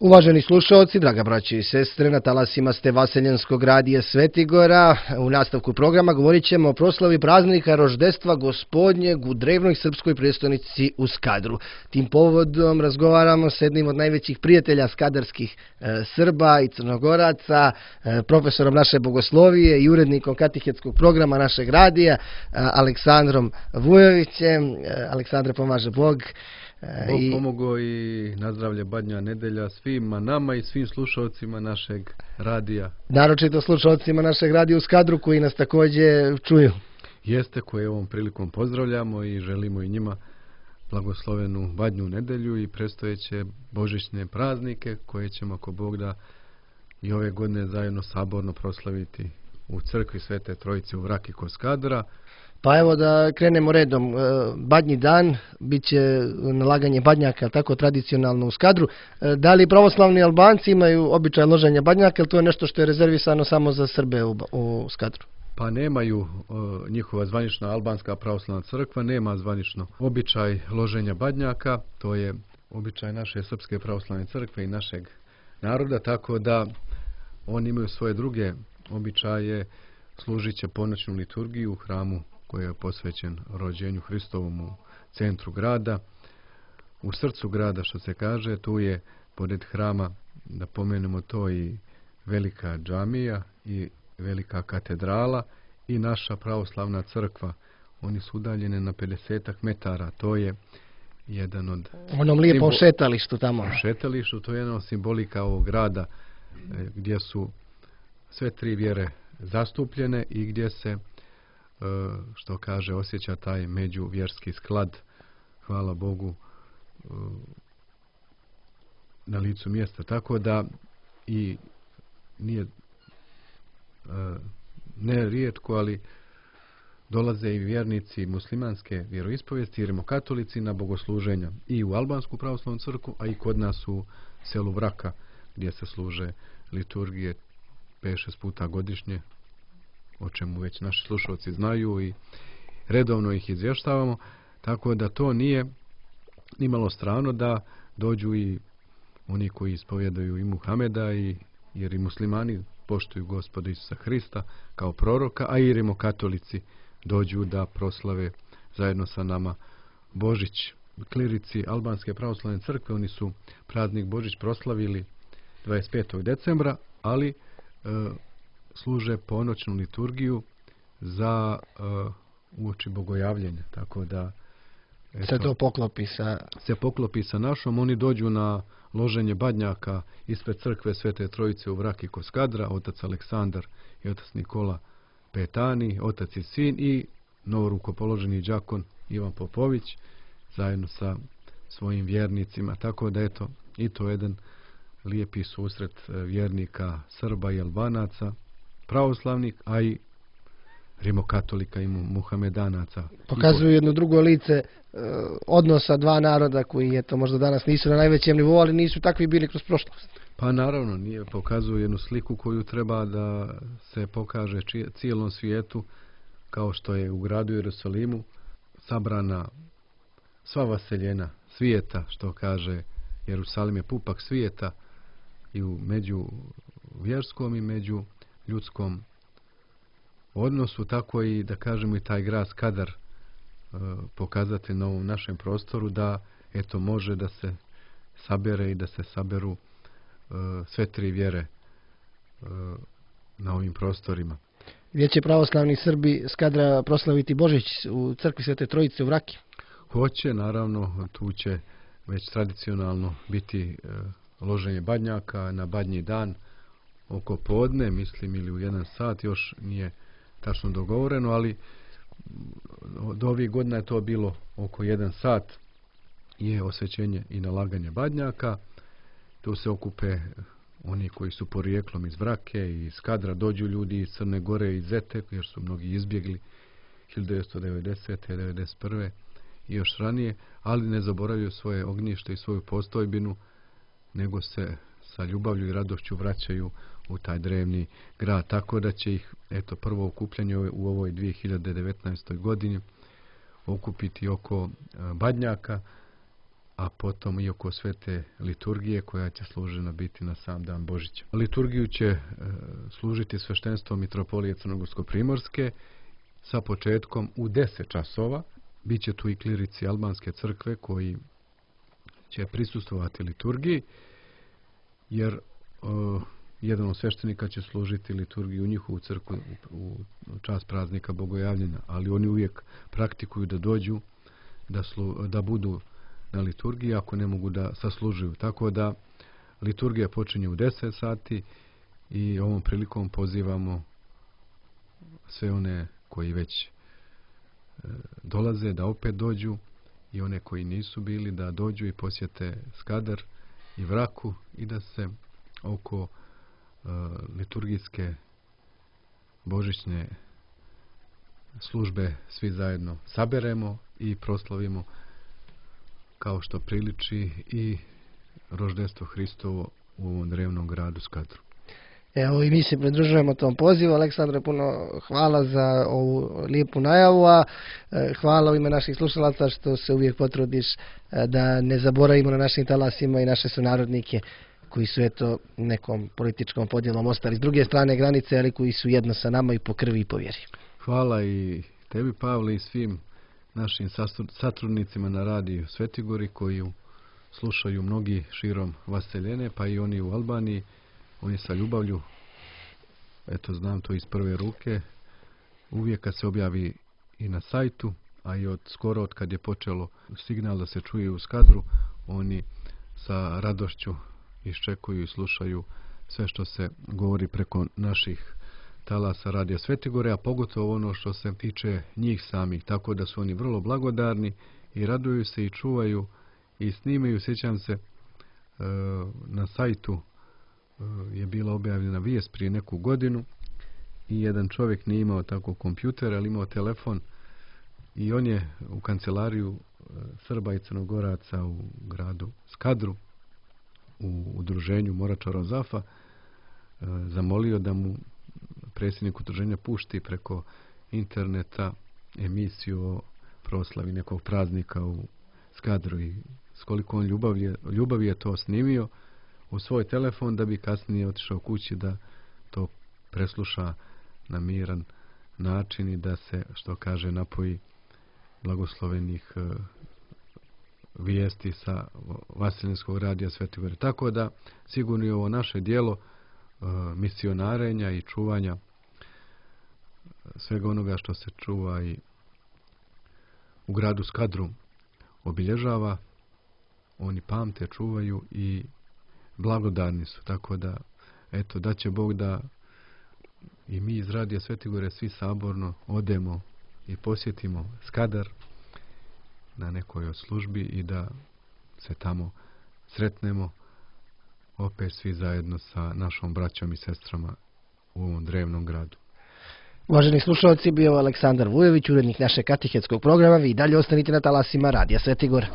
Uvaženi slušalci, draga braće i sestre, na talasima ste Vaseljenskog radija Svetigora. U nastavku programa govorit ćemo o proslavi praznika roždestva Gospodnjeg u drevnoj srpskoj prijestolnici u Skadru. Tim povodom razgovaramo s jednim od najvećih prijatelja skadarskih Srba i Crnogoraca, profesorom naše bogoslovije i urednikom katehetskog programa našeg radija, Aleksandrom Vujovićem. Aleksandre, pomaže Bog. Bog pomogao i nazdravlje Badnja nedelja svima nama i svim slušalcima našeg radija. Naročito slušalcima našeg radija u Skadru koji nas također čuju. Jeste, koje ovom prilikom pozdravljamo i želimo i njima blagoslovenu Badnju nedelju i predstojeće božićne praznike koje ćemo, ako Bog da, i ove godine zajedno saborno proslaviti u crkvi Svete Trojice u Vraki kod Skadra. Pa evo da krenemo redom. Badnji dan bit će nalaganje badnjaka, tako tradicionalno u Skadru. Da li pravoslavni Albanci imaju običaj loženja badnjaka, ili to je nešto što je rezervisano samo za Srbe u Skadru? Pa nemaju, njihova zvanična albanska pravoslavna crkva nema zvanično običaj loženja badnjaka, to je običaj naše srpske pravoslavne crkve i našeg naroda, tako da oni imaju svoje druge običaje, služit će ponoćnu liturgiju u hramu koji je posvećen rođenju Hristovom u centru grada, u srcu grada, što se kaže. Tu je pored hrama, da pomenemo to, i velika džamija i velika katedrala i naša pravoslavna crkva. Oni su udaljene na 50 metara. To je jedan od... Onom lijepom šetalištu tamo. Šetalištu, to je jedna od simbolika ovog grada gdje su sve tri vjere zastupljene i gdje se, što kaže, osjeća taj međuvjerski sklad, hvala Bogu, na licu mjesta. Tako da i nije ne rijetko, ali dolaze i vjernici muslimanske vjeroispovijesti i rimokatolici na bogosluženja i u albansku pravoslavnu crkvu, a i kod nas u selu Vraka, gdje se služe liturgije 5-6 puta godišnje, o čemu već naši slušalci znaju i redovno ih izvještavamo, tako da to nije nimalo strano da dođu i oni koji ispovjedaju i Muhameda, jer i muslimani poštuju Gospoda Isusa Hrista kao proroka, a i rimokatolici dođu da proslave zajedno sa nama Božić. Klirici albanske pravoslavne crkve, oni su praznik Božić proslavili 25. decembra, ali služe ponoćnu liturgiju za uoči bogojavljenja, tako da se to poklopi sa našom. Oni dođu na loženje badnjaka ispred crkve Svete Trojice u Vraki kod Skadra, otac Aleksandar i otac Nikola Petani, otac i sin, i novorukopoloženi đakon Ivan Popović zajedno sa svojim vjernicima, tako da eto, i to jedan lijepi susret vjernika Srba i Albanaca, pravoslavnih, a i rimokatolika i muhamedanaca. Pokazuju jedno drugo lice odnosa dva naroda koji, eto, možda danas nisu na najvećem nivou, ali nisu takvi bili kroz prošlost. Pa naravno, pokazuju jednu sliku koju treba da se pokaže cijelom svijetu, kao što je u gradu Jerusalimu sabrana sva vaseljena svijeta, što kaže Jerusalim je pupak svijeta, i u među vjerskom i među ljudskom odnosu, tako i, da kažemo, i taj grad Skadar pokazati na ovom našem prostoru da eto može da se sabere i da se saberu sve tri vjere na ovim prostorima. Gdje će pravoslavni Srbi Skadra proslaviti Božić? U crkvi Svete Trojice u Vraki? Hoće, naravno, tu će već tradicionalno biti loženje badnjaka na badnji dan oko podne, mislim, ili u 1 sat, još nije tačno dogovoreno, ali do ovih godina je to bilo oko 1 sat je osvećenje i nalaganje badnjaka. Tu se okupe oni koji su porijeklom iz Vrake i iz Skadra, dođu ljudi iz Crne Gore i Zete, jer su mnogi izbjegli 1990. 1991. i još ranije, ali ne zaboravljaju svoje ognjište i svoju postojbinu, nego se sa ljubavlju i radošću vraćaju u taj drevni grad. Tako da će ih, eto, prvo okupljanje u ovoj 2019. godini okupiti oko badnjaka, a potom i oko svete liturgije koja će služena biti na sam dan Božića. Liturgiju će služiti sveštenstvo Mitropolije Crnogorsko-Primorske sa početkom u 10 časova. Biće tu i klirici albanske crkve koji će prisustvovati liturgiji, jer jedan od sveštenika će služiti liturgiju u njihovu crkvu u čast praznika Bogojavljenja, ali oni uvijek praktikuju da dođu, da budu na liturgiji ako ne mogu da saslužuju. Tako da liturgija počinje u 10 sati i ovom prilikom pozivamo sve one koji već dolaze da opet dođu i one koji nisu bili da dođu i posjete Skadar i Vraku i da se oko liturgijske božićne službe svi zajedno saberemo i proslavimo kao što priliči i roždestvo Hristovo u ovom drevnom gradu Skadru. Evo i mi se pridružujemo tom pozivu. Aleksandre, puno hvala za ovu lijepu najavu, a hvala u ime naših slušalaca što se uvijek potrudiš da ne zaboravimo na našim talasima i naše sunarodnike koji su nekom političkom podjelom ostali s druge strane granice, ali koji su jedno sa nama i po krvi i po vjeri. Hvala i tebi, Pavle, i svim našim satrudnicima na radiju Svetigori koji slušaju mnogi širom vaseljene, pa i oni u Albaniji. Oni sa ljubavlju, znam to iz prve ruke, uvijek kad se objavi i na sajtu, a i skoro od kad je počelo signal da se čuje u Skadru, oni sa radošću iščekuju i slušaju sve što se govori preko naših talasa radija Svetigore, a pogotovo ono što se tiče njih samih, tako da su oni vrlo blagodarni i raduju se i čuvaju i snimaju. Sjećam se, na sajtu je bila objavljena vijest prije neku godinu i jedan čovjek nije imao tako kompjuter, ali imao telefon i on je u kancelariju Srba i Crnogoraca u gradu Skadru u udruženju Morača Zafa zamolio da mu predsjednik udruženja pušti preko interneta emisiju o proslavi nekog praznika u Skadru i s koliko on ljubavi je to snimio u svoj telefon da bi kasnije otišao kući da to presluša na miran način i da se, što kaže, napoji blagoslovenih vijesti sa Vaseljenskog radija Svetigore. Tako da sigurno je ovo naše dijelo misionarenja i čuvanja svega onoga što se čuva i u gradu Skadru obilježava. Oni pamte, čuvaju i blagodarni su, tako da da će Bog da i mi iz radija Svetigore svi saborno odemo i posjetimo Skadar na nekoj od službi i da se tamo sretnemo opet svi zajedno sa našom braćom i sestrama u ovom drevnom gradu. Uvaženi slušalci, bio Aleksandar Vujović, urednik našeg katehetskog programa. Vi dalje ostanite na talasima radija Svetigora.